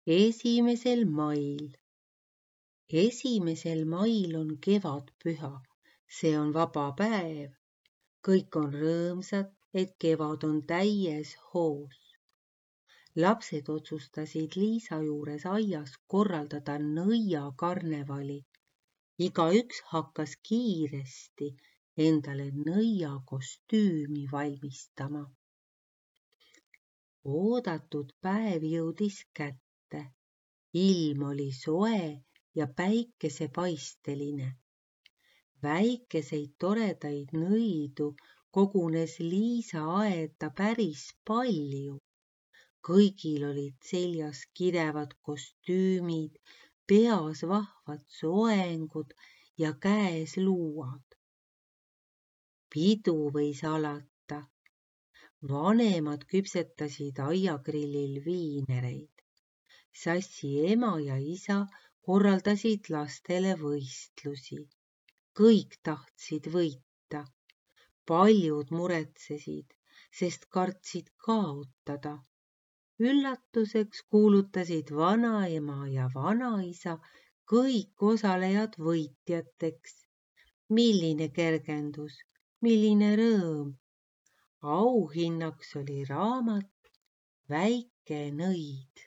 1. mail. 1. mail on kevadpüha, see on vaba päev. Kõik on rõõmsad, et kevad on täies hoos. Lapsed otsustasid Liisa juures aias korraldada nõiakarnevali. Igaüks hakkas kiiresti endale nõiakostüümi valmistama. Oodatud päev jõudis kätte. Ilm oli soe ja päikesepaisteline. Väikeseid toredaid nõidu kogunes Liisa aeda päris palju. Kõigil olid seljas kirevad kostüümid, peas vahvad soengud ja käes luuad. Pidu võis alata. Vanemad küpsetasid aiagrillil viinereid. Sassi ema ja isa korraldasid lastele võistlusi. Kõik tahtsid võita. Paljud muretsesid, sest kartsid kaotada. Üllatuseks kuulutasid vanaema ja vanaisa kõik osalejad võitjateks. Milline kergendus, milline rõõm. Auhinnaks oli raamat Väike nõid.